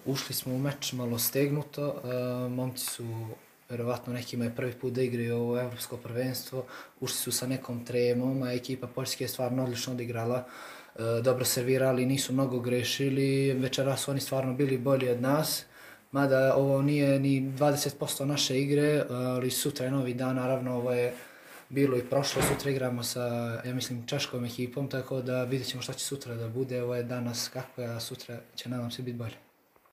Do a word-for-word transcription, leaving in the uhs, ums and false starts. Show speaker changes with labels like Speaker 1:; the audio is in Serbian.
Speaker 1: Ušli smo u meč malo stegnuto, momci su, verovatno nekima je prvi put da igraju ovo evropsko prvenstvo, ušli su sa nekom tremom, a ekipa Poljske je stvarno odlično odigrala, dobro servirali, nisu mnogo grešili, večeras su oni stvarno bili bolji od nas, mada ovo nije ni dvadeset posto naše igre, ali sutra je novi dan, naravno ovo je bilo i prošlo, sutra igramo sa, ja mislim, češkom ekipom, tako da vidjet ćemo šta će sutra da bude, ovo je danas kako je, a sutra će nadam se biti bolje.